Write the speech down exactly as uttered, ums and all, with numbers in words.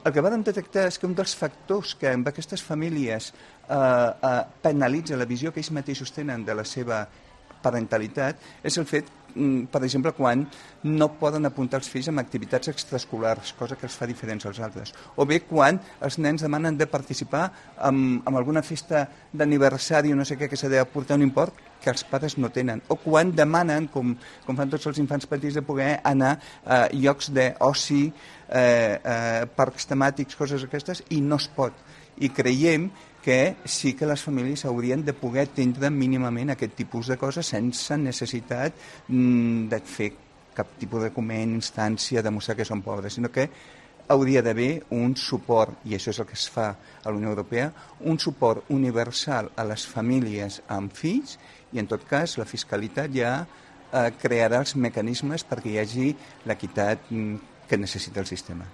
el que vam detectar és que un dels factors que amb aquestes famílies eh, eh, penalitza la visió que ells mateixos tenen de la seva parentalitat és el fet, per exemple, quan no poden apuntar els fills en activitats extraescolars, cosa que els fa diferents als altres. O bé quan els nens demanen de participar en, en alguna festa d'aniversari o no sé què, que s'ha d'aportar un import que els pares no tenen. O quan demanen, com, com fan tots els infants petits, de poder anar a llocs d'oci, eh, eh, parcs temàtics, coses aquestes, i no es pot. I creiem que sí que les famílies haurien de poder atendre mínimament aquest tipus de coses sense necessitat mm, de fer cap tipus de document, instància, demostrar que són pobres, sinó que hauria d'haver un suport, i això és el que es fa a la Unió Europea, un suport universal a les famílies amb fills, i en tot cas la fiscalitat ja eh, crearà els mecanismes perquè hi hagi l'equitat mm, que necessita el sistema.